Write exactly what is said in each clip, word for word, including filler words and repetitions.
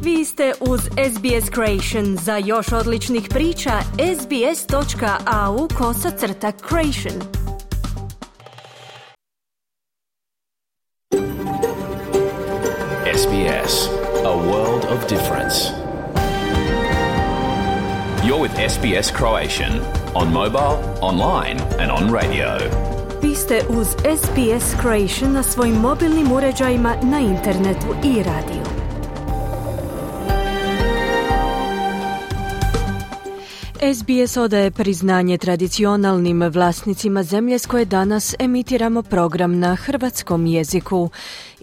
Vi ste uz S B S Creation. Za još odličnih priča, sbs.au kosacrta creation. S B S, a world of difference. You're with S B S Croatian on mobile, online and on radio. Vi ste uz S B S Creation na svojim mobilnim uređajima, na internetu i radiju. S B S odaje priznanje tradicionalnim vlasnicima zemlje s koje danas emitiramo program na hrvatskom jeziku.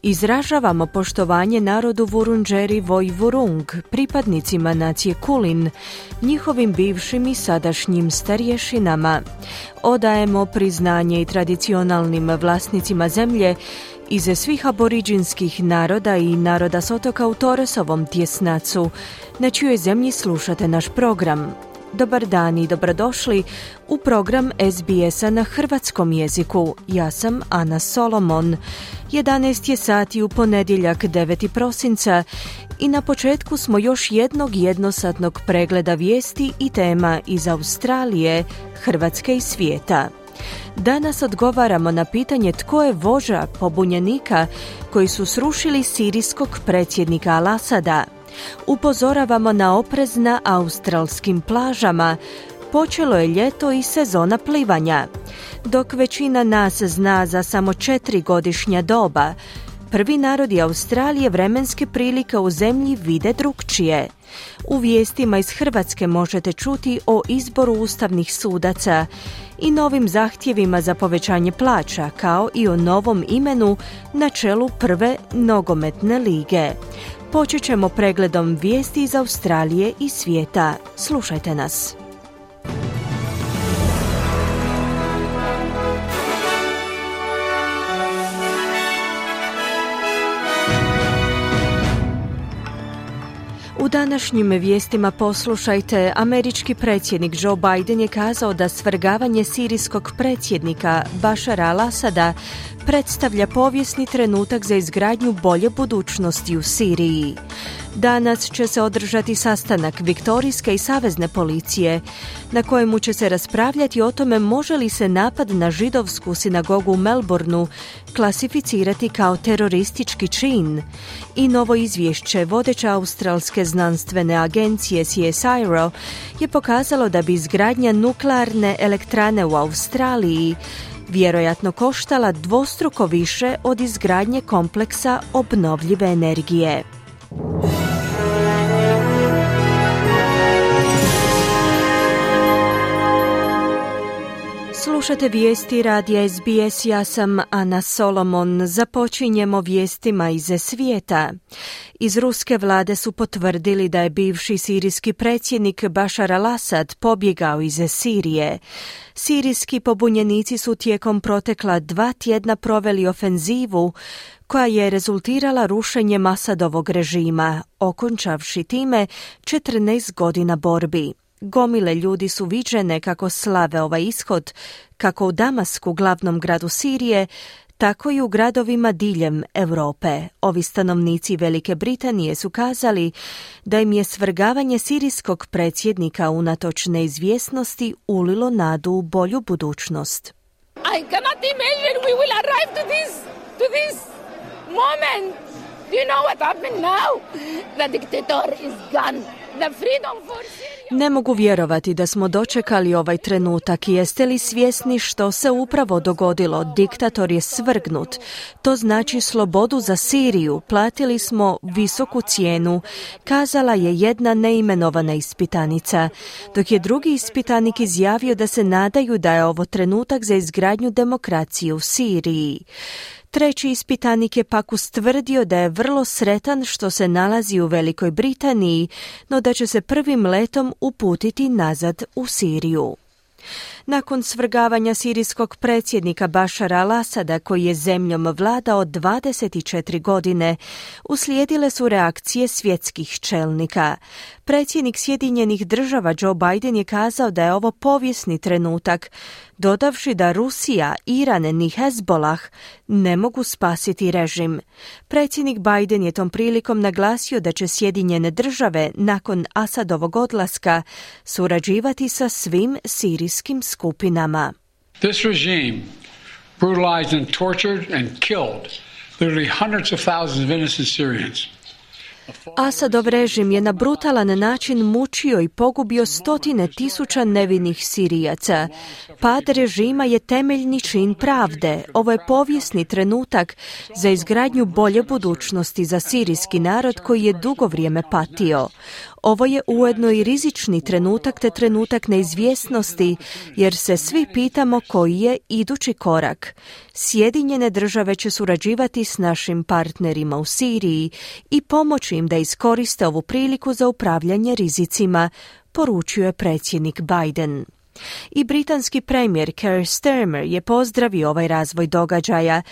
Izražavamo poštovanje narodu Vurundjeri Vojvurung, pripadnicima nacije Kulin, njihovim bivšim i sadašnjim starješinama. Odajemo priznanje i tradicionalnim vlasnicima zemlje iz svih aboriđinskih naroda i naroda s otoka u Torresovom tjesnacu, na čijoj zemlji slušate naš program. Dobar dan i dobrodošli u program S B S-a na hrvatskom jeziku. Ja sam Ana Solomon. jedanaest je sati u ponedjeljak deveti prosinca i na početku smo još jednog jednosatnog pregleda vijesti i tema iz Australije, Hrvatske i svijeta. Danas odgovaramo na pitanje tko je vođa pobunjenika koji su srušili sirijskog predsjednika Al-Asada. Upozoravamo na oprez na australskim plažama. Počelo je ljeto i sezona plivanja. Dok većina nas zna za samo četiri godišnja doba, prvi narodi Australije vremenske prilike u zemlji vide drukčije. U vijestima iz Hrvatske možete čuti o izboru ustavnih sudaca i novim zahtjevima za povećanje plaća, kao i o novom imenu na čelu prve nogometne lige. Počet ćemo pregledom vijesti iz Australije i svijeta. Slušajte nas. U današnjim vijestima poslušajte, američki predsjednik Joe Biden je kazao da svrgavanje sirijskog predsjednika Bašara Al-Asada predstavlja povijesni trenutak za izgradnju bolje budućnosti u Siriji. Danas će se održati sastanak Viktorijske i savezne policije, na kojemu će se raspravljati o tome može li se napad na židovsku sinagogu u Melbourneu klasificirati kao teroristički čin. I novo izvješće vodeće australske znanstvene agencije C S I R O je pokazalo da bi izgradnja nuklearne elektrane u Australiji vjerojatno koštala dvostruko više od izgradnje kompleksa obnovljive energije. Slušate vijesti radija S B S, ja sam Ana Solomon. Započinjemo vijestima iz svijeta. Iz ruske vlade su potvrdili da je bivši sirijski predsjednik Bašar al-Asad pobjegao iz Sirije. Sirijski pobunjenici su tijekom protekla dva tjedna proveli ofenzivu koja je rezultirala rušenjem Asadovog režima, okončavši time četrnaest godina borbi. Gomile ljudi su viđene kako slave ovaj ishod, kako u Damasku, glavnom gradu Sirije, tako i u gradovima diljem Europe. Ovi stanovnici Velike Britanije su kazali da im je svrgavanje sirijskog predsjednika unatoč neizvjesnosti ulilo nadu u bolju budućnost. I cannot imagine we will arrive to this, to this moment. Do you know what happened now? The dictator is gone. The freedom for Syria. Ne mogu vjerovati da smo dočekali ovaj trenutak. Jeste li svjesni što se upravo dogodilo? Diktator je svrgnut. To znači slobodu za Siriju. Platili smo visoku cijenu, kazala je jedna neimenovana ispitanica, dok je drugi ispitanik izjavio da se nadaju da je ovo trenutak za izgradnju demokracije u Siriji. Treći ispitanik je pak ustvrdio da je vrlo sretan što se nalazi u Velikoj Britaniji, no da će se prvim letom uputiti nazad u Siriju. Nakon svrgavanja sirijskog predsjednika Bašara al-Asada, koji je zemljom vladao dvadeset četiri godine, uslijedile su reakcije svjetskih čelnika. Predsjednik Sjedinjenih država Joe Biden je kazao da je ovo povijesni trenutak, dodavši da Rusija, Iran ni Hezbollah ne mogu spasiti režim. Predsjednik Biden je tom prilikom naglasio da će Sjedinjene države nakon Asadovog odlaska surađivati sa svim sirijskim skupinama. This regime brutalized and tortured and killed literally hundreds of thousands of innocent Syrians. Asadov režim je na brutalan način mučio i pogubio stotine tisuća nevinih Sirijaca. Pad režima je temeljni čin pravde. Ovo je povijesni trenutak za izgradnju bolje budućnosti za sirijski narod koji je dugo vrijeme patio. Ovo je ujedno i rizični trenutak te trenutak neizvjesnosti, jer se svi pitamo koji je idući korak. Sjedinjene države će surađivati s našim partnerima u Siriji i pomoći im da iskoriste ovu priliku za upravljanje rizicima, poručuje predsjednik Biden. I britanski premijer Keir Starmer je pozdravio ovaj razvoj događaja,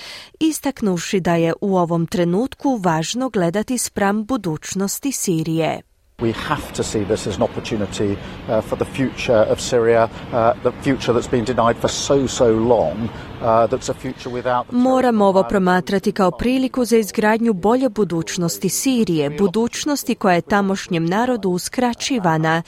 istaknuvši da je u ovom trenutku važno gledati spram budućnosti Sirije. We have to see this as an opportunity uh, for the future of Syria, uh, the future that's been denied for so, so long, uh, that's a future without... Moramo ovo promatrati kao priliku za izgradnju bolje budućnosti Sirije, budućnosti koja je tamošnjem narodu uskraćivana.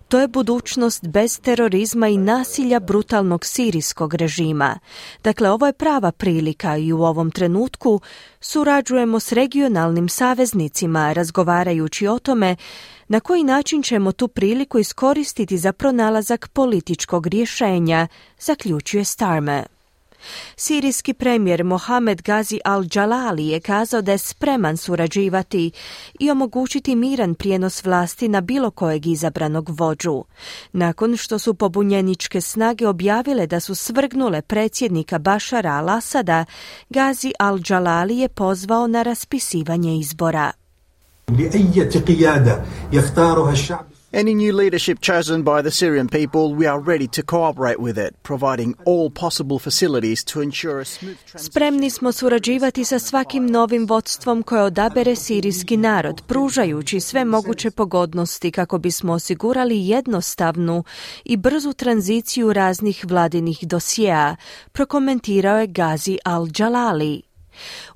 To je budućnost bez terorizma i nasilja brutalnog sirijskog režima. Dakle, ovo je prava prilika i u ovom trenutku surađujemo s regionalnim saveznicima, razgovarajući o tome na koji način ćemo tu priliku iskoristiti za pronalazak političkog rješenja, zaključuje Starmer. Sirijski premijer Mohamed Gazi al-Jalali je kazao da je spreman surađivati i omogućiti miran prijenos vlasti na bilo kojeg izabranog vođu. Nakon što su pobunjeničke snage objavile da su svrgnule predsjednika Bašara al-Asada, Gazi al-Jalali je pozvao na raspisivanje izbora. Any new leadership chosen by the Syrian people, we are ready to cooperate with it, providing all possible facilities to ensure a smooth transition. Spremni smo surađivati sa svakim novim vodstvom koje odabere sirijski narod, pružajući sve moguće pogodnosti kako bismo osigurali jednostavnu i brzu tranziciju raznih vladinih dosjea, prokomentirao je Gazi al-Jalali.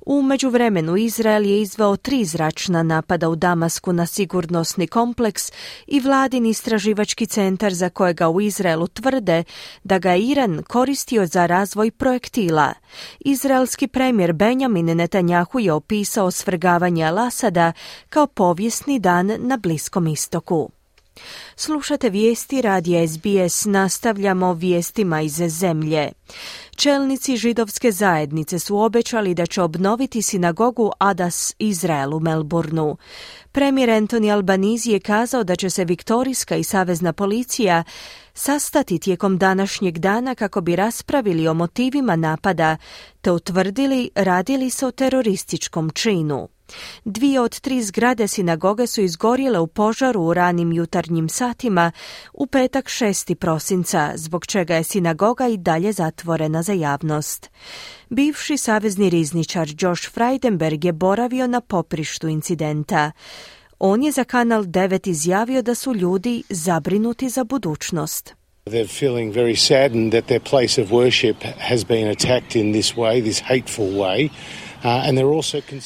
U međuvremenu Izrael je izveo tri zračna napada u Damasku na sigurnosni kompleks i vladin istraživački centar za kojega u Izraelu tvrde da ga Iran koristio za razvoj projektila. Izraelski premijer Benjamin Netanjahu je opisao svrgavanje al-Asada kao povijesni dan na Bliskom istoku. Slušate vijesti radija S B S, nastavljamo vijestima iz zemlje. Čelnici židovske zajednice su obećali da će obnoviti sinagogu Adas Izrael u Melbourneu. Premijer Anthony Albanese je kazao da će se Viktorijska i savezna policija sastati tijekom današnjeg dana kako bi raspravili o motivima napada te utvrdili radili se o terorističkom činu. Dvije od tri zgrade sinagoge su izgorjele u požaru u ranim jutarnjim satima u petak šestog prosinca, zbog čega je sinagoga i dalje zatvorena za javnost. Bivši savezni rizničar Josh Frydenberg je boravio na poprištu incidenta. On je za Kanal devet izjavio da su ljudi zabrinuti za budućnost. They're feeling very saddened that their place of worship has been attacked in this way, this hateful way.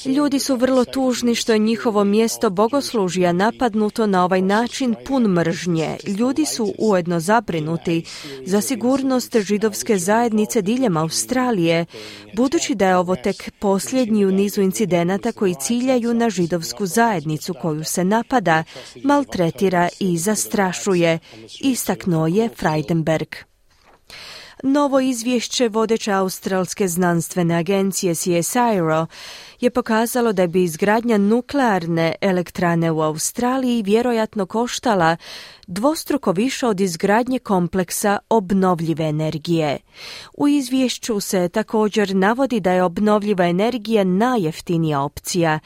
Ljudi su vrlo tužni što je njihovo mjesto bogoslužja napadnuto na ovaj način pun mržnje. Ljudi su ujedno zabrinuti za sigurnost židovske zajednice diljem Australije, budući da je ovo tek posljednji u nizu incidenata koji ciljaju na židovsku zajednicu koju se napada, maltretira i zastrašuje, istaknuo je Frydenberg. Novo izvješće vodeće australske znanstvene agencije C S I R O je pokazalo da bi izgradnja nuklearne elektrane u Australiji vjerojatno koštala dvostruko više od izgradnje kompleksa obnovljive energije. U izvješću se također navodi da je obnovljiva energija najjeftinija opcija,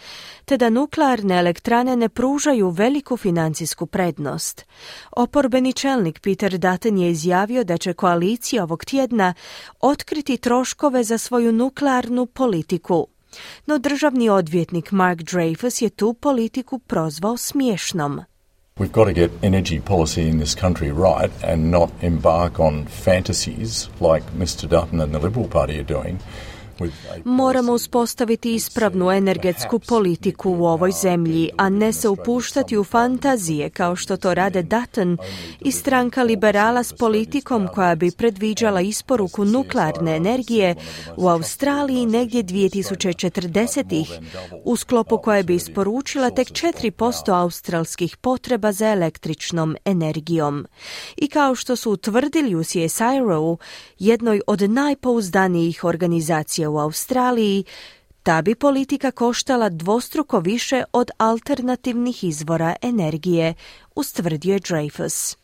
te da nuklearne elektrane ne pružaju veliku financijsku prednost. Oporbeni čelnik Peter Dutton je izjavio da će koalicija ovog tjedna otkriti troškove za svoju nuklearnu politiku. No državni odvjetnik Mark Dreyfus je tu politiku prozvao smiješnom. We've got to get energy policy in this country right and not embark on fantasies like mister Dutton and the Liberal Party are doing. Moramo uspostaviti ispravnu energetsku politiku u ovoj zemlji, a ne se upuštati u fantazije kao što to rade Dutton i stranka liberala s politikom koja bi predviđala isporuku nuklearne energije u Australiji negdje dvije tisuće četrdesetih, u sklopu koje bi isporučila tek četiri posto australskih potreba za električnom energijom. I kao što su utvrdili u C S I R O-u, jednoj od najpouzdanijih organizacija u Australiji, ta bi politika koštala dvostruko više od alternativnih izvora energije, ustvrdio je Dreyfus.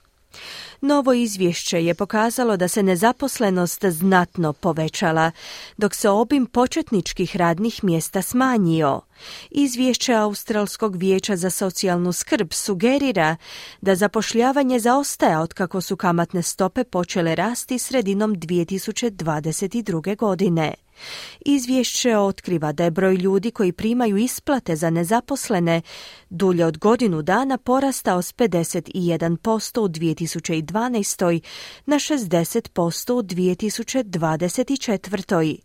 Novo izvješće je pokazalo da se nezaposlenost znatno povećala, dok se obim početničkih radnih mjesta smanjio. Izvješće Australskog vijeća za socijalnu skrb sugerira da zapošljavanje zaostaje otkako su kamatne stope počele rasti sredinom dvije tisuće dvadeset druge. godine. Izvješće otkriva da je broj ljudi koji primaju isplate za nezaposlene dulje od godinu dana porastao s pedeset jedan posto u dvije tisuće dvanaestoj. na šezdeset posto u dvije tisuće dvadeset četvrtoj.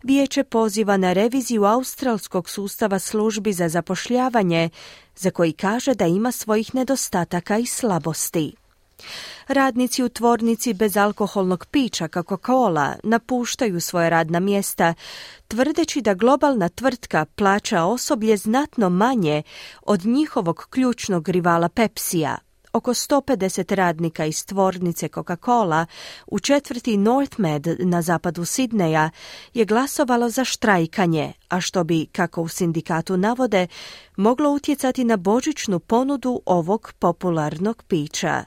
Vijeće poziva na reviziju australskog sustava službi za zapošljavanje, za koji kaže da ima svojih nedostataka i slabosti. Radnici u tvornici bezalkoholnog pića Coca-Cola napuštaju svoje radna mjesta, tvrdeći da globalna tvrtka plaća osoblje znatno manje od njihovog ključnog rivala Pepsija. Oko sto pedeset radnika iz tvornice Coca-Cola u četvrti Northmed na zapadu Sidneja je glasovalo za štrajkanje, a što bi, kako u sindikatu navode, moglo utjecati na božićnu ponudu ovog popularnog pića.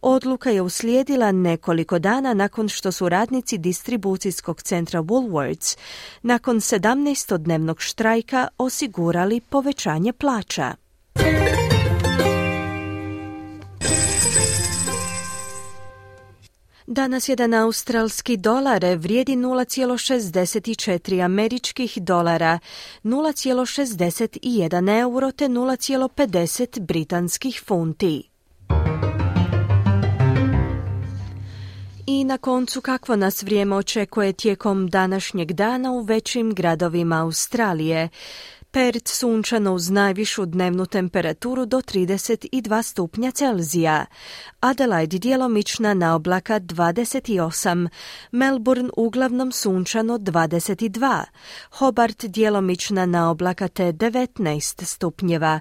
Odluka je uslijedila nekoliko dana nakon što su radnici distribucijskog centra Woolworths nakon sedamnaestodnevnog štrajka osigurali povećanje plaća. Danas jedan australski dolar vrijedi nula zarez šezdeset četiri američkih dolara, nula zarez šezdeset jedan euro te nula zarez pedeset britanskih funti. I na koncu, kakvo nas vrijeme očekuje tijekom današnjeg dana u većim gradovima Australije. Perth sunčano uz najvišu dnevnu temperaturu do trideset dva stupnja Celzija. Adelaide djelomična na oblaka dvadeset osam, Melbourne uglavnom sunčano dvadeset dva, Hobart djelomična na oblaka te devetnaest stupnjeva,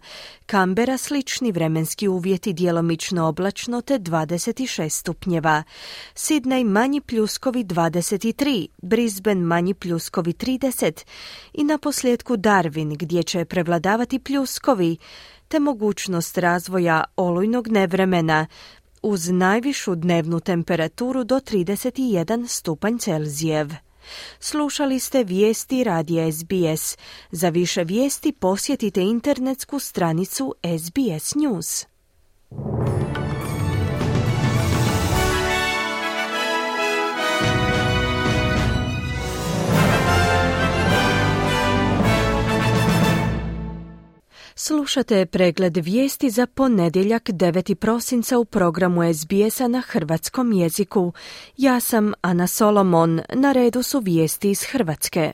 Canberra slični vremenski uvjeti djelomično oblačno te dvadeset šest stupnjeva, Sydney manji pljuskovi dvadeset tri, Brisbane manji pljuskovi trideset i na posljedku Darwin gdje će prevladavati pljuskovi te mogućnost razvoja olujnog nevremena uz najvišu dnevnu temperaturu do trideset jedan stupanj Celzijev. Slušali ste vijesti radija S B S. Za više vijesti posjetite internetsku stranicu S B S News. Slušate pregled vijesti za ponedjeljak devetog prosinca u programu S B S-a na hrvatskom jeziku. Ja sam Ana Solomon, na redu su vijesti iz Hrvatske.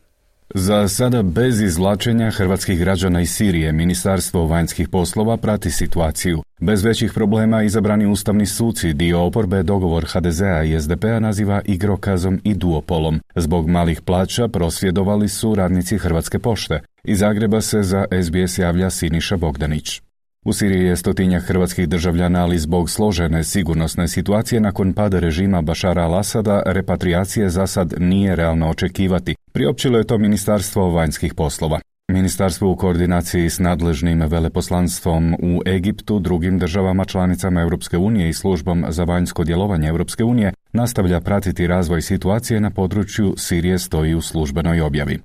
Za sada bez izvlačenja hrvatskih građana iz Sirije, Ministarstvo vanjskih poslova prati situaciju. Bez većih problema izabrani ustavni suci dio oporbe dogovor H D Z-a i S D P-a naziva igrokazom i duopolom. Zbog malih plaća prosvjedovali su radnici Hrvatske pošte. Iz Zagreba se za S B S javlja Siniša Bogdanić. U Siriji je stotinjak hrvatskih državljana, ali zbog složene sigurnosne situacije nakon pada režima Bašara al-Asada, repatriacije za sad nije realno očekivati. Priopćilo je to Ministarstvo vanjskih poslova. Ministarstvo u koordinaciji s nadležnim veleposlanstvom u Egiptu, drugim državama članicama Europske unije i službom za vanjsko djelovanje Europske unije nastavlja pratiti razvoj situacije na području Sirije, stoji u službenoj objavi.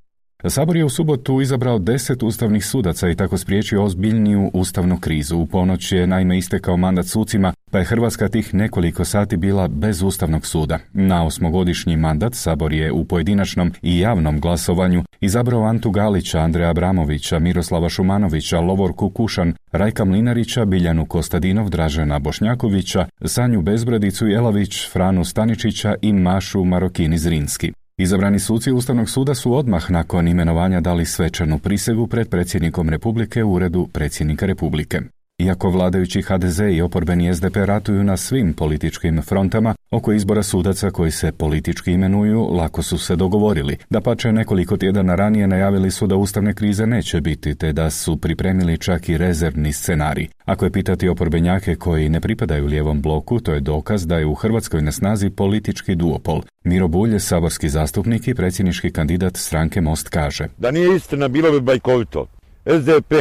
Sabor je u subotu izabrao deset ustavnih sudaca i tako spriječio ozbiljniju ustavnu krizu. U ponoć je naime istekao mandat sucima, pa je Hrvatska tih nekoliko sati bila bez ustavnog suda. Na osmogodišnji mandat Sabor je u pojedinačnom i javnom glasovanju izabrao Antu Galića, Andreja Abramovića, Miroslava Šumanovića, Lovorku Kušan, Rajka Mlinarića, Biljanu Kostadinov, Dražena Bošnjakovića, Sanju Bezbradicu Jelavić, Franu Staničića i Mašu Marokini Zrinski. Izabrani suci Ustavnog suda su odmah nakon imenovanja dali svečanu prisegu pred predsjednikom Republike u uredu predsjednika Republike. Iako vladajući H D Z i oporbeni S D P ratuju na svim političkim frontama, oko izbora sudaca koji se politički imenuju lako su se dogovorili. Dapače, nekoliko tjedana ranije najavili su da ustavne krize neće biti, te da su pripremili čak i rezervni scenarij. Ako je pitati oporbenjake koji ne pripadaju lijevom bloku, to je dokaz da je u Hrvatskoj na snazi politički duopol. Miro Bulj, saborski zastupnik i predsjednički kandidat stranke Most, kaže: Da nije istina, bilo bi bajkovito. S D P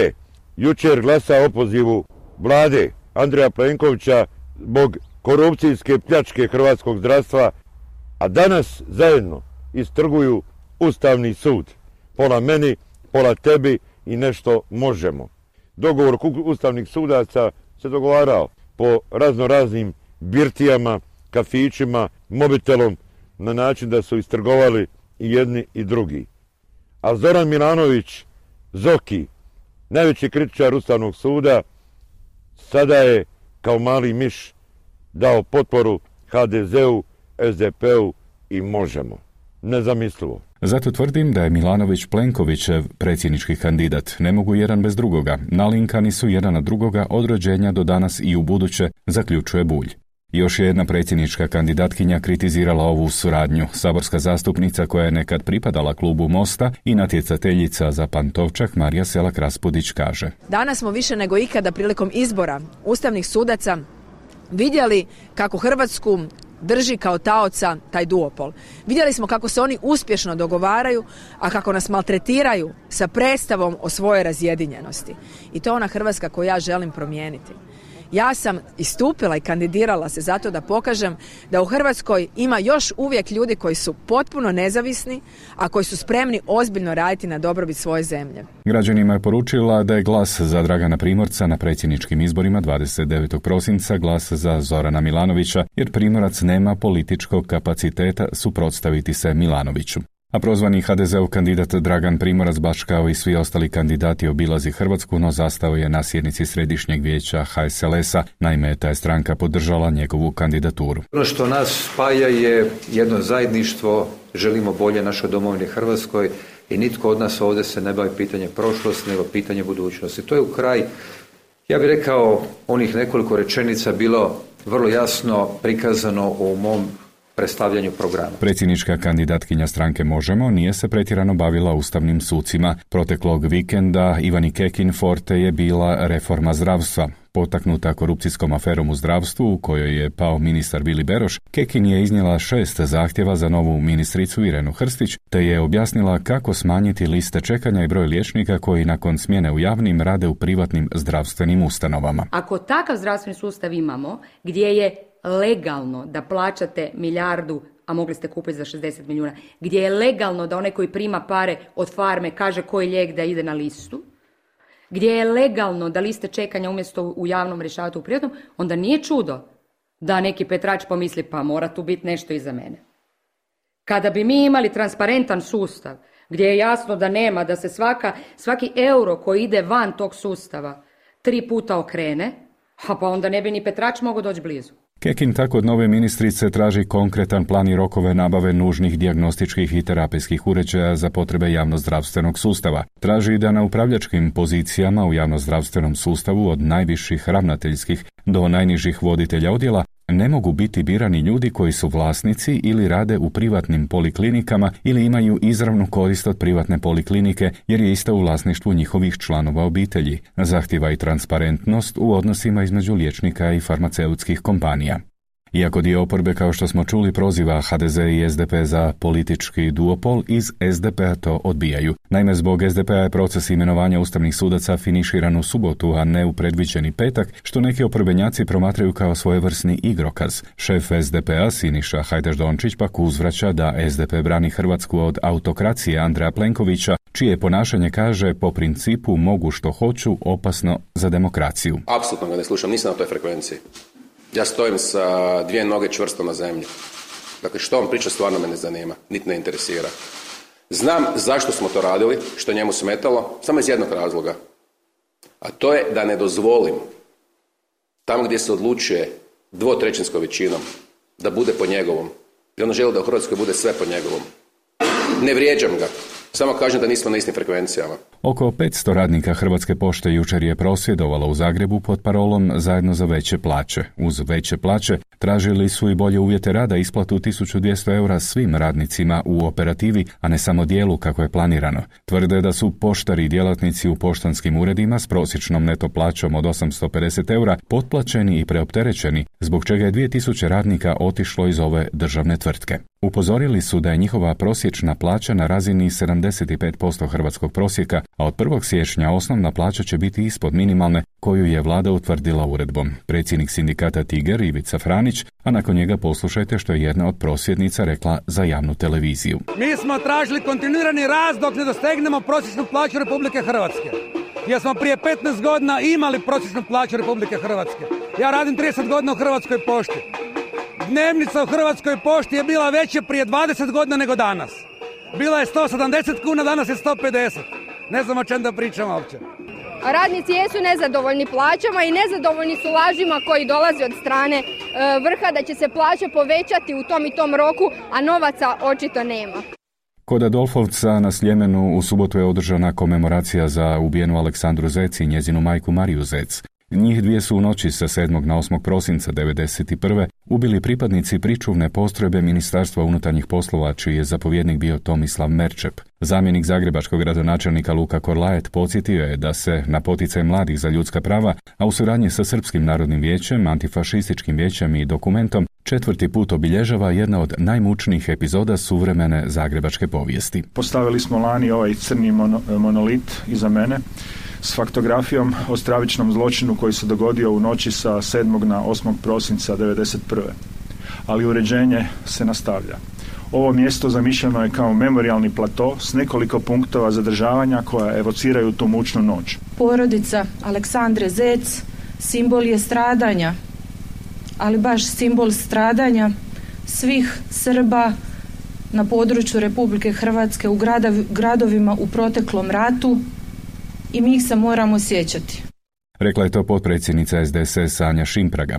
jučer glasa opozivu vlade Andreja Plenkovića zbog korupcijske pljačke hrvatskog zdravstva, a danas zajedno istrguju Ustavni sud. Pola meni, pola tebi i nešto možemo. Dogovor ustavnih sudaca se dogovarao po razno raznim birtijama, kafićima, mobitelom, na način da su istrgovali i jedni i drugi. A Zoran Milanović, Zoki, najveći kritičar Ustavnog suda, sada je kao mali miš dao potporu H D Z-u, S D P-u i Možemo. Nezamislivo. Zato tvrdim da je Milanović Plenkovićev predsjednički kandidat. Ne mogu jedan bez drugoga. Nalinkani su jedan na drugoga od rođenja do danas i u buduće, zaključuje Bulj. Još je jedna predsjednička kandidatkinja kritizirala ovu suradnju. Saborska zastupnica koja je nekad pripadala klubu Mosta i natjecateljica za Pantovčak Marija Selak Raspudić kaže: Danas smo više nego ikada prilikom izbora ustavnih sudaca vidjeli kako Hrvatsku drži kao taoca taj duopol. Vidjeli smo kako se oni uspješno dogovaraju, a kako nas maltretiraju sa predstavom o svojoj razjedinjenosti. I to je ona Hrvatska koju ja želim promijeniti. Ja sam istupila i kandidirala se zato da pokažem da u Hrvatskoj ima još uvijek ljudi koji su potpuno nezavisni, a koji su spremni ozbiljno raditi na dobrobit svoje zemlje. Građanima je poručila da je glas za Dragana Primorca na predsjedničkim izborima dvadeset devetog prosinca glas za Zorana Milanovića, jer Primorac nema političkog kapaciteta suprotstaviti se Milanoviću. A prozvani H D Z-ov kandidat Dragan Primorac, baš kao i svi ostali kandidati, obilazi Hrvatsku, no zastao je na sjednici Središnjeg vijeća H S L S-a. Naime, ta je stranka podržala njegovu kandidaturu. Ono što nas spaja je jedno zajedništvo, želimo bolje našoj domovini Hrvatskoj i nitko od nas ovdje se ne bavi pitanje prošlosti, nego pitanje budućnosti. To je u kraj, ja bih rekao, onih nekoliko rečenica bilo vrlo jasno prikazano u mom predstavljanju programa. Predsjednička kandidatkinja stranke Možemo nije se pretjerano bavila ustavnim sucima. Proteklog vikenda Ivani Kekin forte je bila reforma zdravstva. Potaknuta korupcijskom aferom u zdravstvu u kojoj je pao ministar Vili Beroš, Kekin je iznijela šest zahtjeva za novu ministricu Irenu Hrstić, te je objasnila kako smanjiti liste čekanja i broj liječnika koji nakon smjene u javnim rade u privatnim zdravstvenim ustanovama. Ako takav zdravstveni sustav imamo, gdje je legalno da plaćate milijardu, a mogli ste kupiti za šezdeset milijuna, gdje je legalno da onaj koji prima pare od farme kaže koji lijek da ide na listu, gdje je legalno da liste čekanja umjesto u javnom rješavati u privatnom, onda nije čudo da neki Petrač pomisli pa mora tu biti nešto iza mene. Kada bi mi imali transparentan sustav gdje je jasno da nema, da se svaka, svaki euro koji ide van tog sustava tri puta okrene, a pa onda ne bi ni Petrač mogao doći blizu. Kekin tako od nove ministrice traži konkretan plan i rokove nabave nužnih dijagnostičkih i terapijskih uređaja za potrebe javnozdravstvenog sustava. Traži da na upravljačkim pozicijama u javnozdravstvenom sustavu od najviših ravnateljskih do najnižih voditelja odjela ne mogu biti birani ljudi koji su vlasnici ili rade u privatnim poliklinikama ili imaju izravnu korist od privatne poliklinike jer je ista u vlasništvu njihovih članova obitelji. Zahtijeva i transparentnost u odnosima između liječnika i farmaceutskih kompanija. Iako dio oporbe, kao što smo čuli, proziva ha de ze i es de pe za politički duopol, iz es de pe-a to odbijaju. Naime, zbog es de pe-a je proces imenovanja ustavnih sudaca finiširan u subotu, a ne u predviđeni petak, što neki oporbenjaci promatraju kao svojevrsni igrokaz. Šef es de pe-a Siniša Hajdaš-Dončić pak uzvraća da es de pe brani Hrvatsku od autokracije Andreja Plenkovića, čije ponašanje, kaže, po principu mogu što hoću, opasno za demokraciju. Apsolutno ga ne slušam, nisam na toj frekvenciji. Ja stojim sa dvije noge čvrsto na zemlji. Dakle, što on priča stvarno me ne zanima, niti ne interesira. Znam zašto smo to radili, što njemu smetalo, samo iz jednog razloga. A to je da ne dozvolim tamo gdje se odlučuje dvotrećinskom većinom da bude po njegovom. I ono želi da u Hrvatskoj bude sve po njegovom. Ne vrijeđam ga. Samo kažem da nismo na istim frekvencijama. Oko petsto radnika Hrvatske pošte jučer je prosvjedovalo u Zagrebu pod parolom Zajedno za veće plaće. Uz veće plaće tražili su i bolje uvjete rada, isplatu tisuću dvjesto eura svim radnicima u operativi, a ne samo dijelu kako je planirano. Tvrde da su poštari i djelatnici u poštanskim uredima s prosječnom neto plaćom od osamsto pedeset eura potplaćeni i preopterećeni, zbog čega je dvije tisuće radnika otišlo iz ove državne tvrtke. Upozorili su da je njihova prosječna plaća na razini sedamdeset pet posto hrvatskog prosjeka, a od prvog siječnja osnovna plaća će biti ispod minimalne, koju je vlada utvrdila uredbom. Predsjednik sindikata Tiger Ivica Franić, a nakon njega poslušajte što je jedna od prosvjednica rekla za javnu televiziju. Mi smo tražili kontinuirani rast dok ne dostegnemo prosječnu plaću Republike Hrvatske. Jer smo prije petnaest godina imali prosječnu plaću Republike Hrvatske. Ja radim trideset godina u Hrvatskoj pošti. Dnevnica u Hrvatskoj pošti je bila veća prije dvadeset godina nego danas. Bila je sto sedamdeset kuna, danas je sto pedeset. Ne znam o čem da pričam uopće. Radnici jesu nezadovoljni plaćama i nezadovoljni su lažima koji dolaze od strane e, vrha da će se plaće povećati u tom i tom roku, a novaca očito nema. Kod Adolfovca na Sljemenu u subotu je održana komemoracija za ubijenu Aleksandru Zec i njezinu majku Mariju Zec. Njih dvije su u noći sa sedmog na osmog prosinca devedeset prve ubili pripadnici pričuvne postrojbe Ministarstva unutarnjih poslova, čiji je zapovjednik bio Tomislav Merčep. Zamjenik zagrebačkog gradonačelnika Luka Korlajet podsjetio je da se na poticaj mladih za ljudska prava, a u suradnji sa Srpskim narodnim vijećem, Antifašističkim vijećem i Dokumentom, četvrti put obilježava jedna od najmučnijih epizoda suvremene zagrebačke povijesti. Postavili smo lani ovaj crni mono, monolit iza mene s faktografijom o stravičnom zločinu koji se dogodio u noći sa sedmog na osmog prosinca devedeset prve. Ali uređenje se nastavlja. Ovo mjesto zamišljeno je kao memorijalni plato s nekoliko punktova zadržavanja koja evociraju tu mučnu noć. Porodica Aleksandre Zec simbol je stradanja, ali baš simbol stradanja svih Srba na području Republike Hrvatske u gradovima u proteklom ratu, i mi ih se moramo sjećati. Rekla je to potpredsjednica es de es es Anja Šimpraga.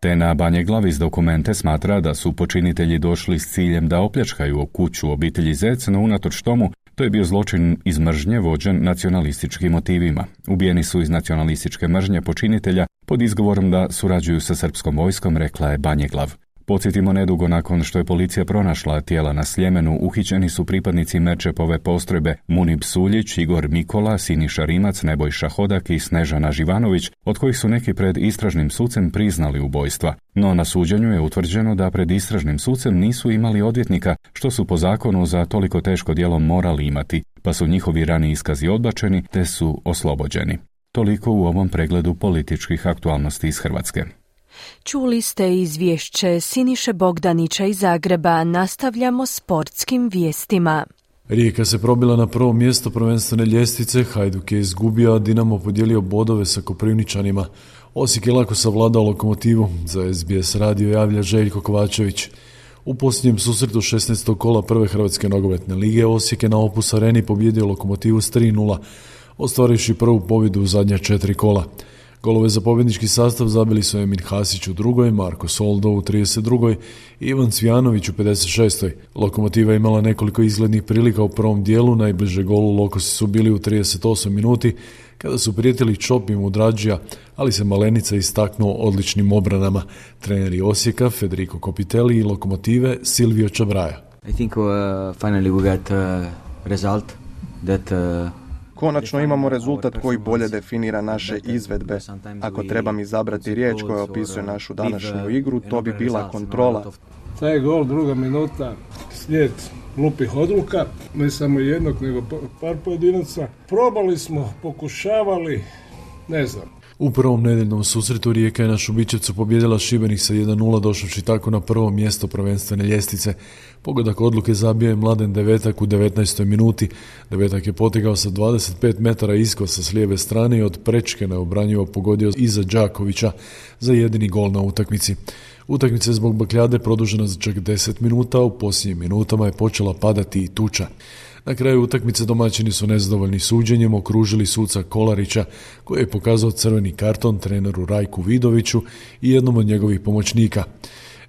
Te na Banjeglavi iz Dokumente smatra da su počinitelji došli s ciljem da opljačkaju kuću obitelji Zec, no unatoč tomu to je bio zločin iz mržnje vođen nacionalističkim motivima. Ubijeni su iz nacionalističke mržnje počinitelja pod izgovorom da surađuju sa srpskom vojskom, rekla je Banjeglav. Podsjetimo, nedugo nakon što je policija pronašla tijela na Sljemenu, uhićeni su pripadnici Merčepove postrojbe Munib Suljić, Igor Mikola, Siniša Rimac, Nebojša Hodak i Snežana Živanović, od kojih su neki pred istražnim sucem priznali ubojstva. No na suđenju je utvrđeno da pred istražnim sucem nisu imali odvjetnika, što su po zakonu za toliko teško djelo morali imati, pa su njihovi rani iskazi odbačeni te su oslobođeni. Toliko u ovom pregledu političkih aktualnosti iz Hrvatske. Čuli ste izvješće Siniše Bogdanića iz Zagreba. Nastavljamo sportskim vijestima. Rijeka se probila na prvo mjesto prvenstvene ljestvice, Hajduk je izgubio, a Dinamo podijelio bodove sa Koprivničanima. Osijek je lako savladao Lokomotivu, za es be es radio javlja Željko Kovačević. U posljednjem susretu šesnaestog kola prve Hrvatske nogometne lige Osijek je na Opus Areni pobjedio Lokomotivu s tri nula, ostvarivši prvu pobjedu u zadnja četiri kola. Golove za pobjednički sastav zabili su Emin Hasić u drugoj, Marko Soldo u trideset drugoj i Ivan Cvijanović u pedeset šestoj Lokomotiva je imala nekoliko izglednih prilika u prvom dijelu, najbliže golu Lokosi su bili u trideset osmoj minuti kada su prijetili Čop i Mudrađija, ali se Malenica istaknuo odličnim obranama. Treneri Osijeka Federico Copitelli i Lokomotive Silvio Čabraja. I think uh, finally we got a result that uh, Konačno imamo rezultat koji bolje definira naše izvedbe. Ako trebam izabrati riječ koja opisuje našu današnju igru, to bi bila kontrola. Taj gol, druga minuta, slijed glupih odluka, ne samo jednog, nego par pojedinaca. Probali smo, pokušavali, ne znam. U prvom nedeljnom susretu Rijeka je na Šubićevcu pobjedila Šibenik sa jedan nula, došavši tako na prvo mjesto prvenstvene ljestvice. Pogodak odluke zabio je Mladen Devetak u devetnaestoj minuti. Devetak je potigao sa dvadeset pet metara iskosa s lijeve strane i od prečke neobranjivo pogodio iza Đakovića za jedini gol na utakmici. Utakmica je zbog bakljade produžena za čak deset minuta, a u posljednjim minutama je počela padati i tuča. Na kraju utakmice domaćini su nezadovoljni suđenjem okružili suca Kolarića, koji je pokazao crveni karton treneru Rajku Vidoviću i jednom od njegovih pomoćnika.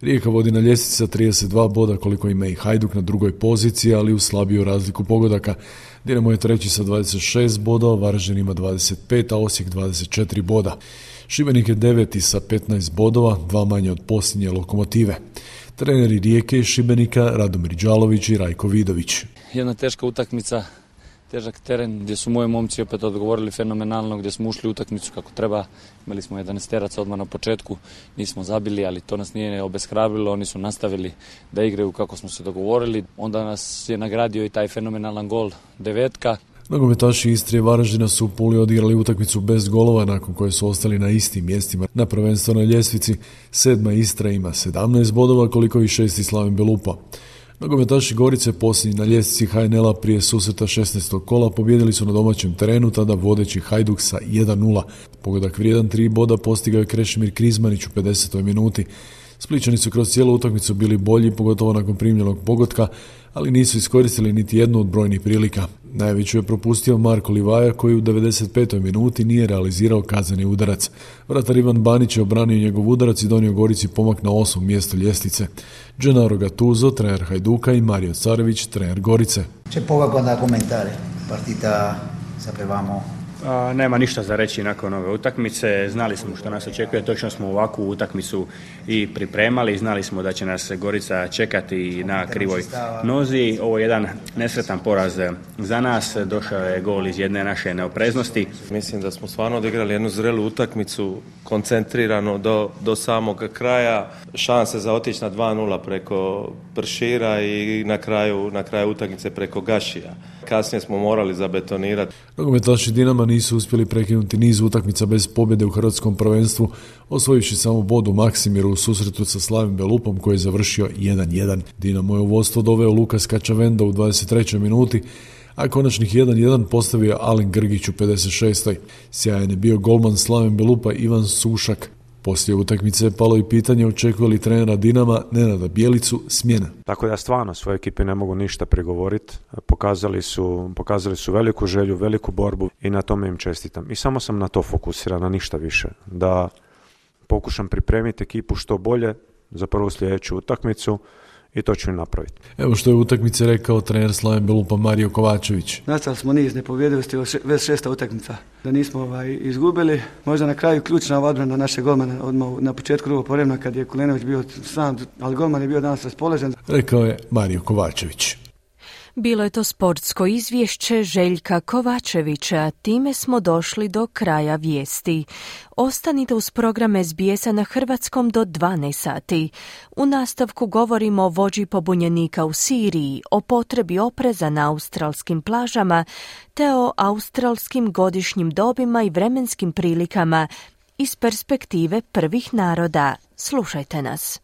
Rijeka vodi na ljestvici sa trideset dva boda koliko ima i Hajduk na drugoj poziciji, ali uz slabiju razliku pogodaka. Dinamo je treći sa dvadeset šest bodova, Varaždin ima dvadeset pet, a Osijek dvadeset četiri boda. Šibenik je deveti sa petnaest bodova, dva manje od posljednje Lokomotive. Treneri Rijeke i Šibenika Radomir Đalović i Rajko Vidović. Jedna teška utakmica, težak teren gdje su moji momci opet odgovorili fenomenalno, gdje smo ušli u utakmicu kako treba. Imali smo jedanaesteraca odmah na početku, nismo zabili, ali to nas nije obeshrabrilo, oni su nastavili da igraju kako smo se dogovorili. Onda nas je nagradio i taj fenomenalan gol Devetka. Nogometaši Istre i Varaždina su u Puli odigrali utakmicu bez golova nakon koje su ostali na istim mjestima na prvenstvenoj ljestvici. Sedma Istra ima sedamnaest bodova koliko i šesti Slaven Belupa. Nogometaši Gorice posljednji na ljestvici H N L-a prije susreta šesnaestog kola pobjedili su na domaćem terenu, tada vodeći Hajduk sa jedan nula. Pogodak vrijedan tri boda postigao je Krešimir Krizmanić u pedesetoj minuti. Splićani su kroz cijelu utakmicu bili bolji, pogotovo nakon primljenog pogotka, ali nisu iskoristili niti jednu od brojnih prilika. Najveću je propustio Marko Livaja, koji u devedeset petoj minuti nije realizirao kazneni udarac. Vratar Ivan Banić je obranio njegov udarac i donio Gorici pomak na osmo mjesto ljestvice. Gennaro Gattuso, trener Hajduka, i Mario Carević, trener Gorice. C'è poco da commentare. Partita sapevamo. A, nema ništa za reći nakon ove utakmice, znali smo što nas očekuje, točno smo ovakvu utakmicu i pripremali, znali smo da će nas Gorica čekati na krivoj nozi. Ovo je jedan nesretan poraz za nas, došao je gol iz jedne naše neopreznosti. Mislim da smo stvarno odigrali jednu zrelu utakmicu, koncentrirano do, do samog kraja, šanse za otići na dva nula preko Pršira i na kraju, na kraju utakmice preko Gašija. Kasnije smo morali zabetonirati. Nogometaši Dinama nisu uspjeli prekinuti niz utakmica bez pobjede u hrvatskom prvenstvu, osvojivši samo bod u Maksimiru u susretu sa Slavim Belupom koji je završio jedan jedan. Dinamo je u vodstvo doveo Lukas Kačavenda u dvadeset trećoj minuti, a konačnih jedan jedan postavio Alen Grgić u pedeset šestoj. Sjajan je bio golman Slaven Belupa Ivan Sušak. Poslije utakmice je palo i pitanje očekuje li trenera Dinama Nenada Bjelicu smjena. Tako da stvarno svoje ekipe ne mogu ništa prigovoriti. Pokazali su, pokazali su veliku želju, veliku borbu i na tome im čestitam. I samo sam na to fokusiran, na ništa više. Da pokušam pripremiti ekipu što bolje za prvu sljedeću utakmicu i to ću im napraviti. Evo što je u utakmici rekao trener Slaven Belupa Mario Kovačević. Nastali smo niz nepovjedivosti, već šesta utakmica. Da nismo ovaj, izgubili, možda na kraju ključna odbrana naše golmana odmah na početku drugog povremena kad je Kulenović bio sam, ali golman je bio danas raspoložen. Rekao je Mario Kovačević. Bilo je to sportsko izvješće Željka Kovačevića. Time smo došli do kraja vijesti. Ostanite uz program S B S-a na hrvatskom do dvanaest sati. U nastavku govorimo o vođi pobunjenika u Siriji, o potrebi opreza na australskim plažama, te o australskim godišnjim dobima i vremenskim prilikama iz perspektive prvih naroda. Slušajte nas.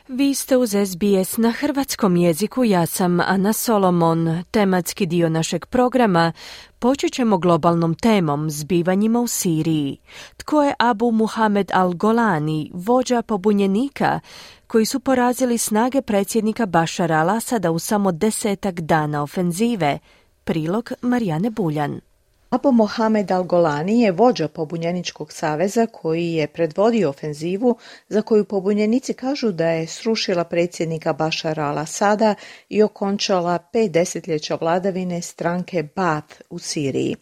Vi ste uz S B S na hrvatskom jeziku, ja sam Ana Solomon. Tematski dio našeg programa počet ćemo globalnom temom, zbivanjima u Siriji. Tko je Abu Muhamed al-Golani, vođa pobunjenika, koji su porazili snage predsjednika Bašara al-Asada u samo desetak dana ofenzive? Prilog Marijane Buljan. Abu Mohamed al-Golani je vođa pobunjeničkog saveza koji je predvodio ofenzivu za koju pobunjenici kažu da je srušila predsjednika Bašara al-Asada i okončala pet desetljeća vladavine stranke Baath u Siriji.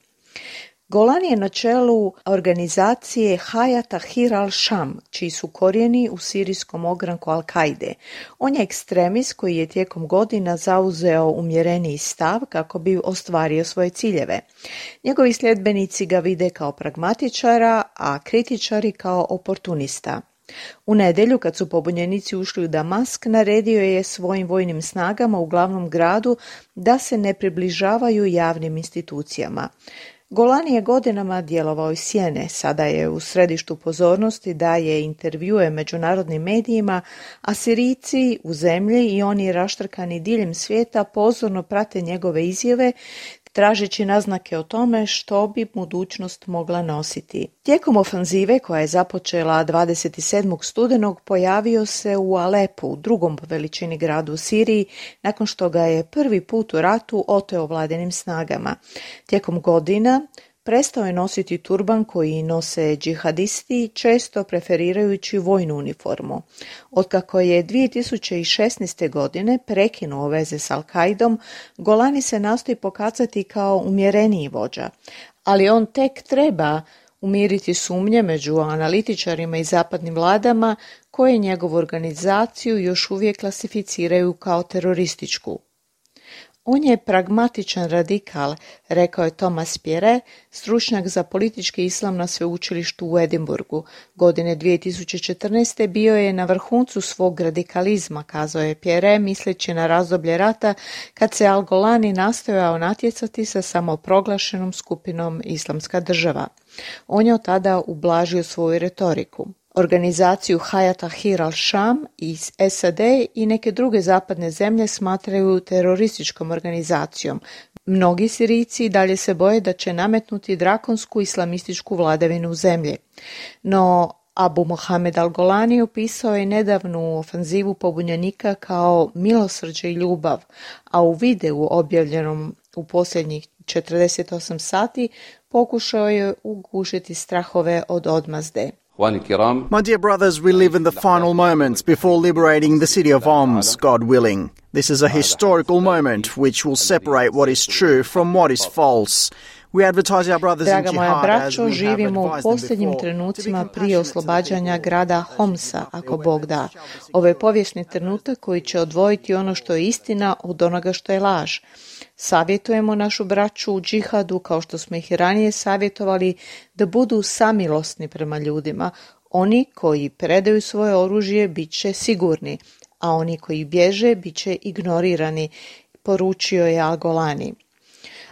Golani je na čelu organizacije Hayat Tahrir al-Sham, čiji su korijeni u sirijskom ogranku Al-Kaide. On je ekstremist koji je tijekom godina zauzeo umjereniji stav kako bi ostvario svoje ciljeve. Njegovi sljedbenici ga vide kao pragmatičara, a kritičari kao oportunista. U nedjelju, kad su pobunjenici ušli u Damask, naredio je svojim vojnim snagama u glavnom gradu da se ne približavaju javnim institucijama. Golani je godinama djelovao iz sjene, sada je u središtu pozornosti, daje intervjue međunarodnim medijima, a Sirijci u zemlji i oni raštrkani diljem svijeta pozorno prate njegove izjave, tražeći naznake o tome što bi budućnost mogla nositi. Tijekom ofanzive koja je započela dvadeset sedmog studenog pojavio se u Alepu, drugom po veličini gradu u Siriji, nakon što ga je prvi put u ratu oteo vladinim snagama. Tijekom godina prestao je nositi turban koji nose džihadisti, često preferirajući vojnu uniformu. Otkako je dvije tisuće šesnaeste. godine prekinuo veze s Al-Kaidom, Golani se nastoji pokazati kao umjereniji vođa, ali on tek treba umiriti sumnje među analitičarima i zapadnim vladama koje njegovu organizaciju još uvijek klasificiraju kao terorističku. On je pragmatičan radikal, rekao je Thomas Pierre, stručnjak za politički islam na sveučilištu u Edinburgu. Godine dvije tisuće četrnaeste. bio je na vrhuncu svog radikalizma, kazao je Pierre, misleći na razdoblje rata kad se Al-Golani nastojao natjecati sa samoproglašenom skupinom Islamska država. On je od tada ublažio svoju retoriku. Organizaciju Hayat Tahrir al-Sham iz S A D i neke druge zapadne zemlje smatraju terorističkom organizacijom. Mnogi Sirijci dalje se boje da će nametnuti drakonsku islamističku vladavinu u zemlji. No Abu Mohamed al-Golani opisao je nedavnu ofanzivu pobunjenika kao milosrđe i ljubav, a u videu objavljenom u posljednjih četrdeset osam sati pokušao je ugušiti strahove od odmazde. My dear brothers, we live in the final moments before liberating the city of Homs, God willing. This is a historical moment which will separate what is true from what is false. We advertise our brothers in Draga moja jihad as braćo, we have živimo u advised them posljednjim before. trenucima prije oslobađanja grada Homsa, ako Bog da. Ovo je povijesni trenutak koji će odvojiti ono što je istina od onoga što je laž. Savjetujemo našu braću u džihadu, kao što smo ih i ranije savjetovali, da budu samilosni prema ljudima. Oni koji predaju svoje oružje bit će sigurni, a oni koji bježe bit će ignorirani, poručio je Al-Golani.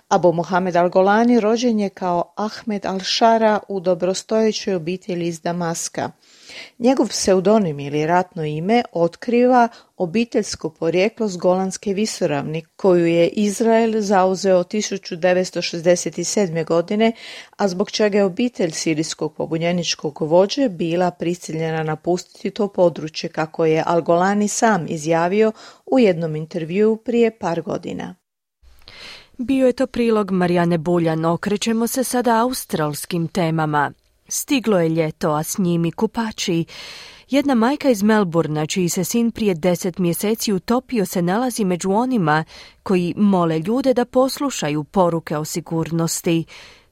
Abu Mohamed al-Golani rođen je kao Ahmed al-Shara u dobrostojećoj obitelji iz Damaska. Njegov pseudonim ili ratno ime otkriva obiteljsko porijeklo s Golanske visoravni, koju je Izrael zauzeo tisuću devetsto šezdeset sedme. godine, a zbog čega je obitelj sirijskog pobunjeničkog vođe bila prisiljena napustiti to područje, kako je Al-Golani sam izjavio u jednom intervjuu prije par godina. Bio je to prilog Marijane Buljan. Okrećemo se sada australskim temama. Stiglo je ljeto, a s njim i kupači. Jedna majka iz Melbourna, čiji se sin prije deset mjeseci utopio, se nalazi među onima koji mole ljude da poslušaju poruke o sigurnosti,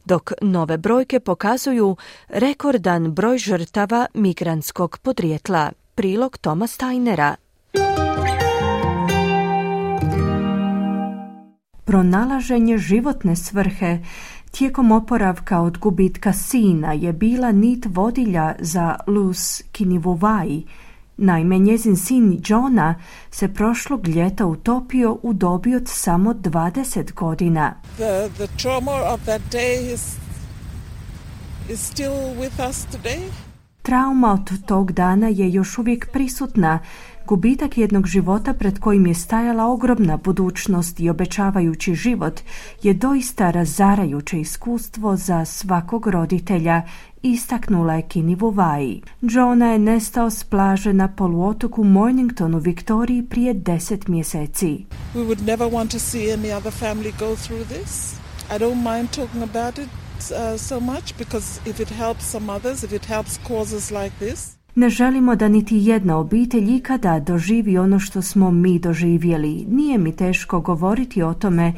dok nove brojke pokazuju rekordan broj žrtava migrantskog podrijetla. Prilog Toma Steinera. Pronalaženje životne svrhe tijekom oporavka od gubitka sina je bila nit vodilja za Luz Kinivuvai. Naime, njezin sin Johna se prošlog ljeta utopio u dobi od samo dvadeset godina. The, the trauma of that day is, is still with us today. Trauma od tog dana je još uvijek prisutna. Gubitak jednog života pred kojim je stajala ogromna budućnost i obećavajući život je doista razarajuće iskustvo za svakog roditelja, istaknula je Kinivuvai. Johna je nestao s plaže na poluotoku Mornington u Viktoriji prije deset mjeseci. We would never want to see any other family go through this. I don't mind talking about it uh, so much because if it helps some others, if it helps causes like this. Ne želimo da niti jedna obitelj ikada doživi ono što smo mi doživjeli. Nije mi teško govoriti o tome,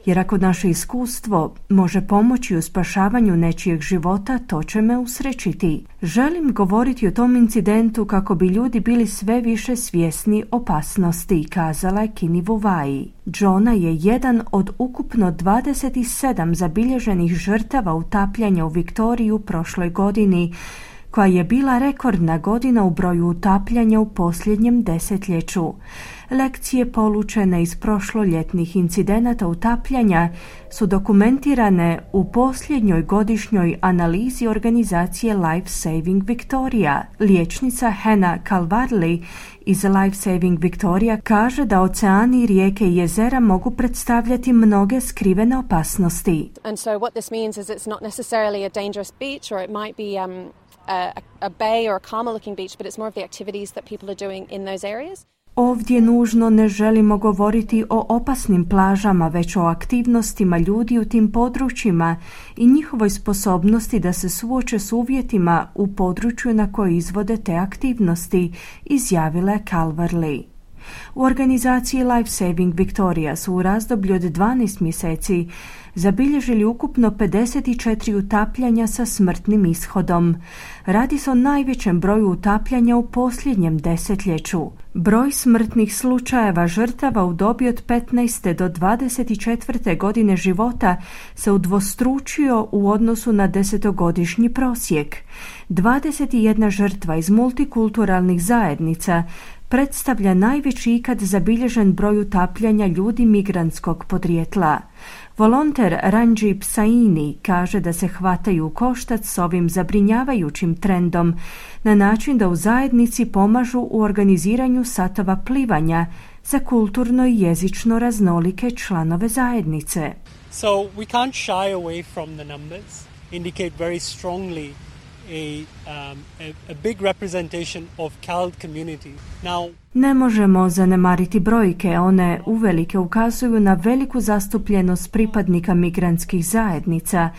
jer ako naše iskustvo može pomoći u spašavanju nečijeg života, to će me usrećiti. Želim govoriti o tom incidentu kako bi ljudi bili sve više svjesni opasnosti, kazala je Kini Vuvai. Jonah je jedan od ukupno dvadeset sedam zabilježenih žrtava utapljanja u Viktoriji u prošloj godini, koja je bila rekordna godina u broju utapljanja u posljednjem desetljeću. Lekcije polučene iz prošloljetnih incidenata utapljanja su dokumentirane u posljednjoj godišnjoj analizi organizacije Life Saving Victoria. Liječnica Hannah Calvarley iz Life Saving Victoria kaže da oceani, rijeke i jezera mogu predstavljati mnoge skrivene opasnosti. And so what this means is it's not necessarily a dangerous beach, or it might be um, a, a bay or a calmer looking beach, but it's more of the activities that people are doing in those areas. Ovdje nužno ne želimo govoriti o opasnim plažama, već o aktivnostima ljudi u tim područjima i njihovoj sposobnosti da se suoče s uvjetima u području na koje izvode te aktivnosti, izjavila je Calvarley. U organizaciji Life Saving Victoria su u razdoblju od dvanaest mjeseci zabilježili ukupno pedeset četiri utapljanja sa smrtnim ishodom. Radi se o najvećem broju utapljanja u posljednjem desetljeću. Broj smrtnih slučajeva žrtava u dobi od petnaeste do dvadeset četvrte godine života se udvostručio u odnosu na desetogodišnji prosjek. dvadeset jedna žrtva iz multikulturalnih zajednica predstavlja najveći ikad zabilježen broj utapljanja ljudi migrantskog podrijetla. Volonter Ranjip Saini kaže da se hvataju u koštac s ovim zabrinjavajućim trendom na način da u zajednici pomažu u organiziranju satova plivanja za kulturno i jezično raznolike članove zajednice. So we can't shy away from the numbers, indicate very strongly A, um, a, a big representation of CALD community. Now, ne možemo zanemariti brojke, one uvelike ukazuju na veliku zastupljenost pripadnika migrantskih zajednica.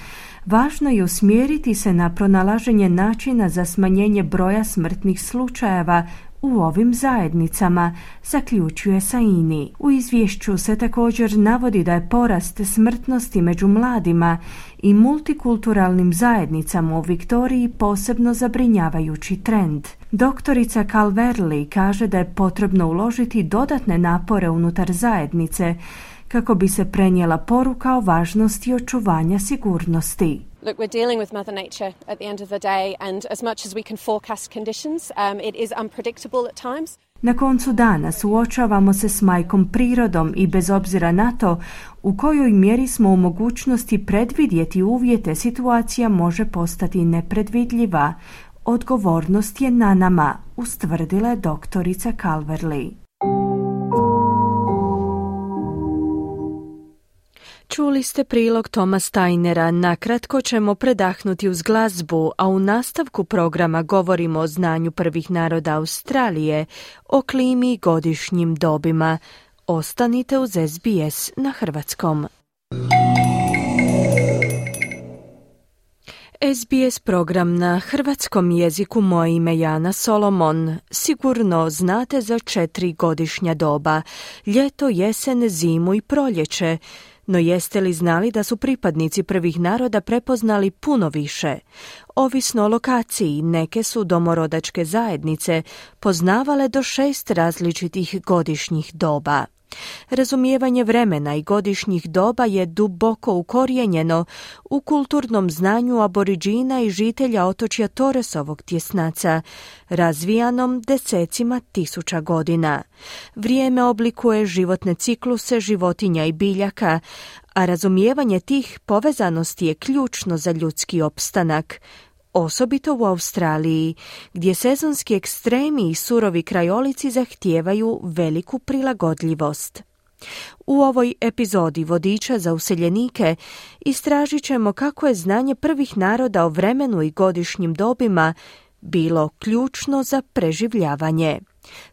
Važno je usmjeriti se na pronalaženje načina za smanjenje broja smrtnih slučajeva u ovim zajednicama, zaključuje Saini. U izvješću se također navodi da je porast smrtnosti među mladima i multikulturalnim zajednicama u Viktoriji posebno zabrinjavajući trend. Doktorica Calvarley kaže da je potrebno uložiti dodatne napore unutar zajednice kako bi se prenijela poruka o važnosti očuvanja sigurnosti. Look, we're dealing with Mother Nature at the end of the day, and as much as we can forecast conditions, um, it is unpredictable at times. Na koncu dana suočavamo se s majkom prirodom i bez obzira na to u kojoj mjeri smo u mogućnosti predvidjeti uvjete, situacija može postati nepredvidljiva. Odgovornost je na nama, ustvrdila je doktorica Calvarley. Čuli ste prilog Toma Steinera. Nakratko ćemo predahnuti uz glazbu, a u nastavku programa govorimo o znanju prvih naroda Australije, o klimi i godišnjim dobima. Ostanite uz S B S na hrvatskom. S B S program na hrvatskom jeziku. Moje ime je Jana Solomon. Sigurno znate za četiri godišnja doba: ljeto, jesen, zimu i proljeće. No jeste li znali da su pripadnici prvih naroda prepoznali puno više? Ovisno o lokaciji, neke su domorodačke zajednice poznavale do šest različitih godišnjih doba. Razumijevanje vremena i godišnjih doba je duboko ukorijenjeno u kulturnom znanju aboriđina i žitelja otočja Torresovog tjesnaca, razvijanom desecima tisuća godina. Vrijeme oblikuje životne cikluse životinja i biljaka, a razumijevanje tih povezanosti je ključno za ljudski opstanak, osobito u Australiji, gdje sezonski ekstremi i surovi krajolici zahtijevaju veliku prilagodljivost. U ovoj epizodi Vodiča za useljenike istražit ćemo kako je znanje prvih naroda o vremenu i godišnjim dobima bilo ključno za preživljavanje.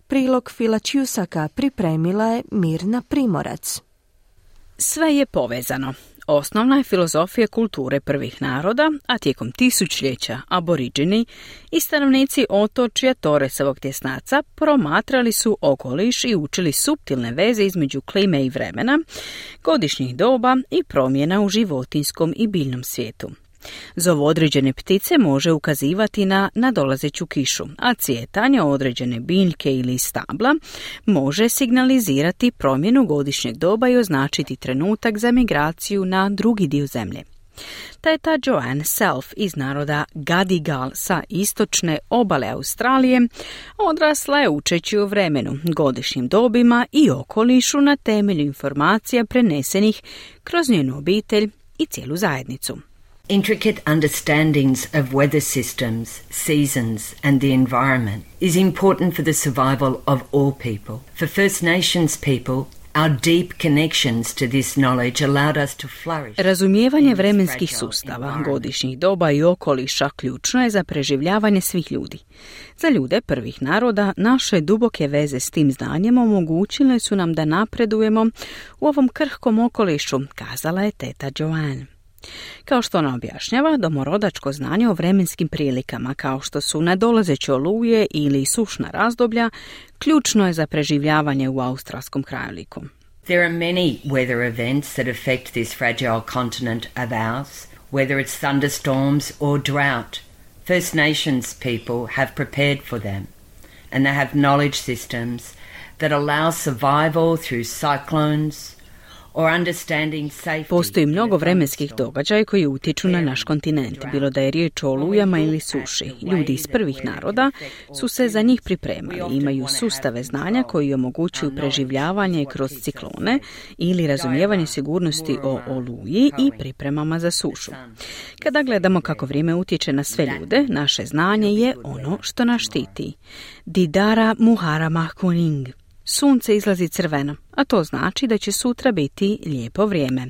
Prilog Fila Ćusaka pripremila je Mirna Primorac. Sve je povezano. osnovna je filozofija kulture prvih naroda, a tijekom tisućljeća aboriđini i stanovnici otočja Torresovog tjesnaca promatrali su okoliš i učili suptilne veze između klime i vremena, godišnjih doba i promjena u životinjskom i biljnom svijetu. Zov određene ptice može ukazivati na nadolazeću kišu, a cvjetanje određene biljke ili stabla može signalizirati promjenu godišnjeg doba i označiti trenutak za migraciju na drugi dio zemlje. Teta Joanne Self iz naroda Gadigal sa istočne obale Australije odrasla je učeći o vremenu, godišnjim dobima i okolišu na temelju informacija prenesenih kroz njenu obitelj i cijelu zajednicu. Intricate understandings of weather systems, seasons and the environment is important for the survival of all people. For First Nations people, our deep connections to this knowledge allowed us to flourish. Razumijevanje vremenskih sustava, godišnjih doba i okoliša ključno je za preživljavanje svih ljudi. Za ljude prvih naroda naše duboke veze s tim znanjem omogućile su nam da napredujemo u ovom krhkom okolišu, kazala je teta Joanne. Kao što ona objašnjava, domorodačko znanje o vremenskim prilikama, kao što su nadolazeće oluje ili sušna razdoblja, ključno je za preživljavanje u australskom krajoliku. There are many weather events that affect this fragile continent of ours, whether it's thunderstorms or drought. First Nations people have prepared for them, and they have knowledge systems that allow survival through cyclones, Postoji mnogo vremenskih događaja koji utječu na naš kontinent, bilo da je riječ o olujama ili suši. Ljudi iz prvih naroda su se za njih pripremali, imaju sustave znanja koji omogućuju preživljavanje kroz ciklone ili razumijevanje sigurnosti o oluji i pripremama za sušu. Kada gledamo kako vrijeme utječe na sve ljude, naše znanje je ono što nas štiti. Didara Muharama Kuning. Sunce izlazi crveno, a to znači da će sutra biti lijepo vrijeme,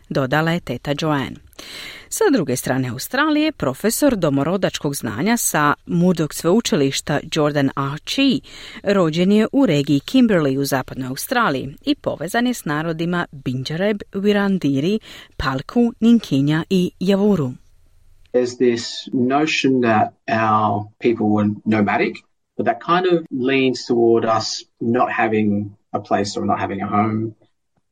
dodala je teta Joanne. Sa druge strane Australije, profesor domorodačkog znanja sa Murdoch sveučilišta Jordan Archie rođen je u regiji Kimberley u zapadnoj Australiji i povezan je s narodima Bindjareb, Wirrandiri, Palku, Ninkinja i Yavuru. There's this notion that our people were nomadic. But that kind of leans toward us not having a place or not having a home.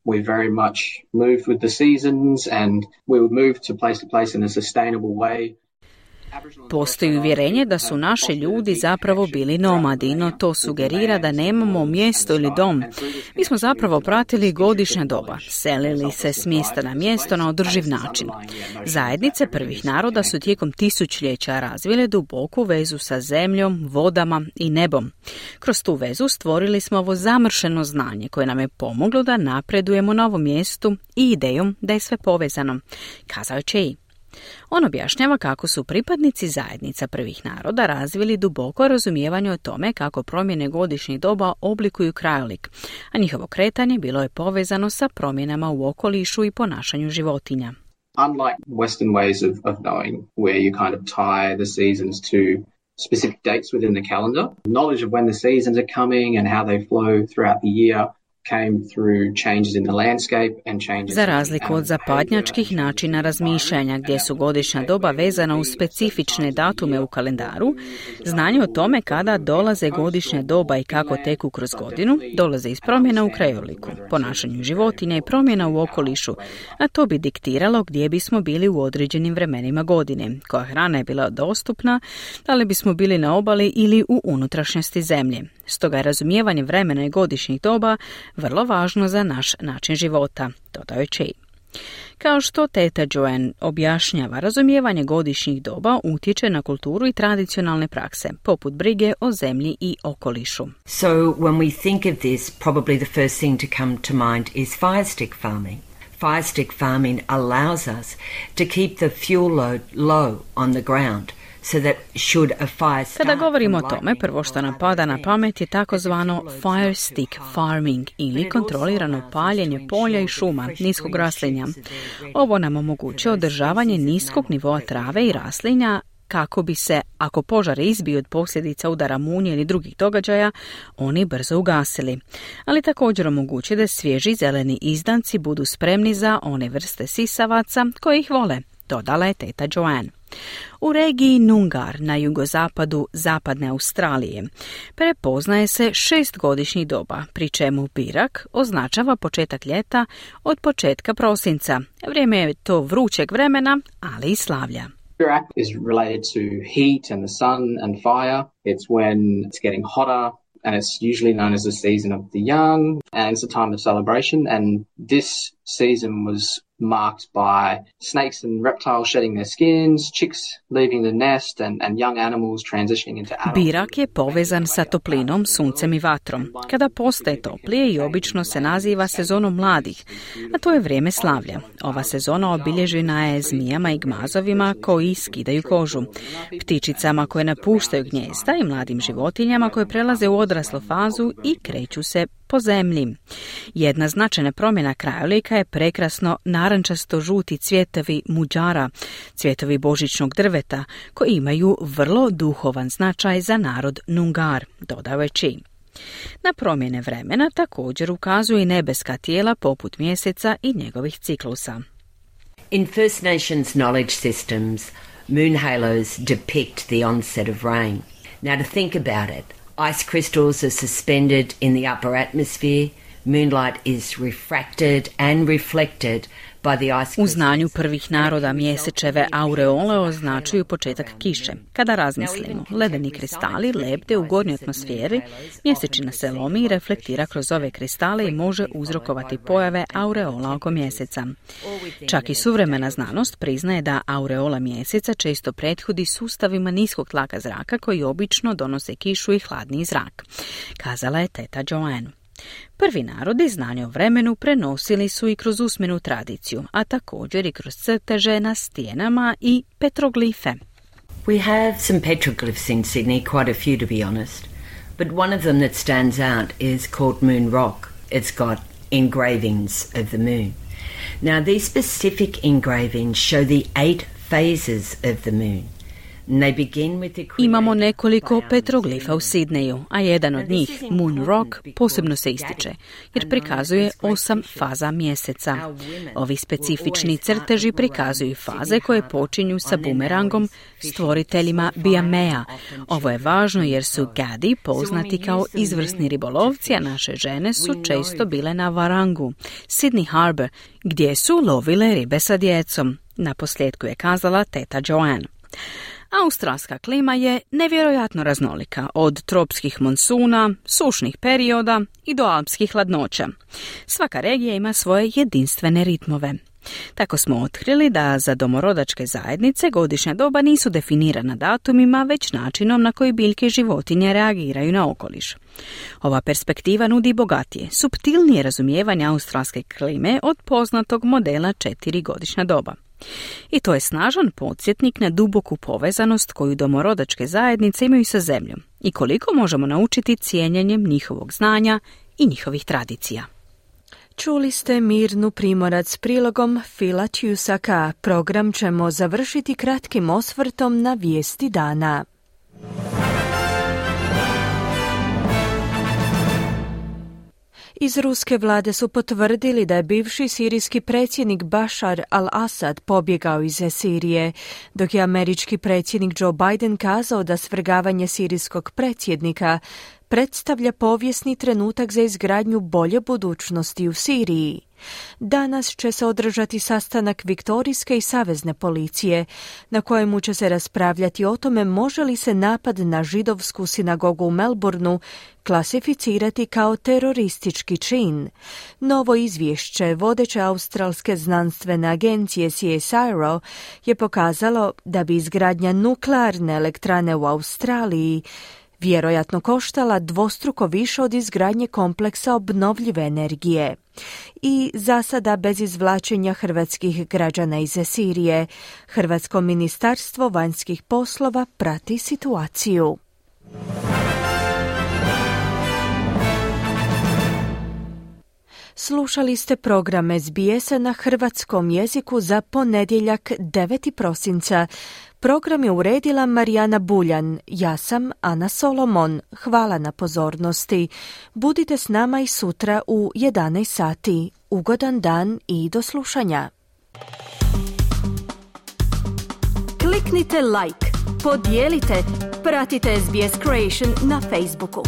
We very much moved with the seasons and we would move to place to place in a sustainable way. Postoji uvjerenje da su naši ljudi zapravo bili nomadi, no to sugerira da nemamo mjesto ili dom. Mi smo zapravo pratili godišnja doba, selili se s mjesta na mjesto na održiv način. Zajednice prvih naroda su tijekom tisućljeća razvile duboku vezu sa zemljom, vodama i nebom. Kroz tu vezu stvorili smo ovo zamršeno znanje koje nam je pomoglo da napredujemo na ovom mjestu i idejom da je sve povezano, kazao je Chey. On objašnjava kako su pripadnici zajednica prvih naroda razvili duboko razumijevanje o tome kako promjene godišnjih doba oblikuju krajolik, a njihovo kretanje bilo je povezano sa promjenama u okolišu i ponašanju životinja. Unlike Western ways of, of knowing, where you kind of tie the seasons to specific dates within the calendar, knowledge of when the seasons are coming and how they flow throughout the year came through changes in the landscape and changes. Za razliku od zapadnjačkih načina razmišljanja gdje su godišnja doba vezana uz specifične datume u kalendaru, znanje o tome kada dolaze godišnja doba i kako teku kroz godinu dolaze iz promjena u krajoliku, ponašanju životinja i promjena u okolišu, a to bi diktiralo gdje bismo bili u određenim vremenima godine, koja hrana je bila dostupna, da li bismo bili na obali ili u unutrašnjosti zemlje. Stoga je razumijevanje vremena i godišnjih doba vrlo važno za naš način života, dodao je Chey. Kao što teta Joanne objašnjava, razumijevanje godišnjih doba utječe na kulturu i tradicionalne prakse, poput brige o zemlji i okolišu. So when we think of this, probably the first thing to come to mind is fire stick farming. Fire stick farming allows us to keep the fuel load low on the ground. So that should a fire start, kada govorimo o tome, prvo što nam pada na pamet je takozvano fire stick farming ili kontrolirano paljenje polja i šuma, niskog raslinja. Ovo nam omogućuje održavanje niskog nivoa trave i raslinja kako bi se, ako požar izbiju od posljedica udara munje ili drugih događaja, oni brzo ugasili. Ali također omogući da svježi zeleni izdanci budu spremni za one vrste sisavaca koje ih vole, dodala je teta Joanne. U regiji Noongar na jugozapadu zapadne Australije prepoznaje se šestgodišnji doba, pri čemu birak označava početak ljeta od početka prosinca. Vrijeme je to vrućeg vremena, ali i slavlja. Birak is related to heat and the sun and fire. It's when it's getting hotter and it's usually known as the season of the young and it's a time of celebration, and this season was marked by snakes and reptiles shedding their skins, chicks leaving the nest and, and young animals transitioning into adults. Birak je povezan sa toplinom, suncem i vatrom. Kada postaje toplije i obično se naziva sezonom mladih, a to je vrijeme slavlja. Ova sezona obilježena je zmijama i gmazovima koji skidaju kožu, ptičicama koje napuštaju gnijezda i mladim životinjama koje prelaze u odraslu fazu i kreću se po zemlji. Jedna značajna promjena krajolika je prekrasno narančasto-žuti cvjetovi muđara, cvjetovi božićnog drveta, koji imaju vrlo duhovan značaj za narod Noongar, dodao je Chi. Na promjene vremena također ukazuju i nebeska tijela poput mjeseca i njegovih ciklusa. In First Nations knowledge systems, moon halos depict the onset of rain. Now to think about it, ice crystals are suspended in the upper atmosphere. Moonlight is refracted and reflected by the ice crystals. U znanju prvih naroda mjesečeve aureole označuju početak kiše. Kada razmislimo, ledeni kristali lebde u gornjoj atmosferi, mjesečina se lomi i reflektira kroz ove kristale i može uzrokovati pojave aureola oko mjeseca. Čak i suvremena znanost priznaje da aureola mjeseca često prethodi sustavima niskog tlaka zraka koji obično donose kišu i hladniji zrak, kazala je teta Joanne. Prvi narodi znanje o vremenu prenosili su i kroz usmenu tradiciju, a također i kroz crteže na stijenama i petroglife. We have some petroglyphs in Sydney, quite a few to be honest, but one of them that stands out is called Moon Rock. It's got engravings of the moon. Now these specific engravings show the eight phases of the moon. Imamo nekoliko petroglifa u Sidneju, a jedan od njih, Moon Rock, posebno se ističe, jer prikazuje osam faza mjeseca. Ovi specifični crteži prikazuju faze koje počinju sa bumerangom, stvoriteljima Biamea. Ovo je važno jer su Gadi poznati kao izvrsni ribolovci, a naše žene su često bile na Varangu, Sydney Harbour, gdje su lovile ribe sa djecom. Na posljedku je kazala teta Joanne. Australska klima je nevjerojatno raznolika, od tropskih monsuna, sušnih perioda i do alpskih hladnoća. Svaka regija ima svoje jedinstvene ritmove. Tako smo otkrili da za domorodačke zajednice godišnja doba nisu definirana datumima, već načinom na koji biljke i životinje reagiraju na okoliš. Ova perspektiva nudi bogatije, suptilnije razumijevanje australske klime od poznatog modela četiri godišnja doba. I to je snažan podsjetnik na duboku povezanost koju domorodačke zajednice imaju sa zemljom i koliko možemo naučiti cijenjenjem njihovog znanja i njihovih tradicija. Čuli ste Mirnu Primorac s prilogom Fila Ćusaka. Program ćemo završiti kratkim osvrtom na vijesti dana. Iz ruske vlade su potvrdili da je bivši sirijski predsjednik Bashar al-Assad pobjegao iz Sirije, dok je američki predsjednik Joe Biden kazao da svrgavanje sirijskog predsjednika predstavlja povijesni trenutak za izgradnju bolje budućnosti u Siriji. Danas će se održati sastanak Viktorijske i savezne policije, na kojemu će se raspravljati o tome može li se napad na židovsku sinagogu u Melbourneu klasificirati kao teroristički čin. Novo izvješće vodeće australske znanstvene agencije C S I R O je pokazalo da bi izgradnja nuklearne elektrane u Australiji vjerojatno koštala dvostruko više od izgradnje kompleksa obnovljive energije. I za sada bez izvlačenja hrvatskih građana iz Sirije, Hrvatsko ministarstvo vanjskih poslova prati situaciju. Slušali ste program S B S-a na hrvatskom jeziku za ponedjeljak deveti prosinca. Program je uredila Marijana Buljan, ja sam Ana Solomon. Hvala na pozornosti. Budite s nama i sutra u jedanaest sati. Ugodan dan i do slušanja. Kliknite like, podijelite, pratite S B S Creation na Facebooku.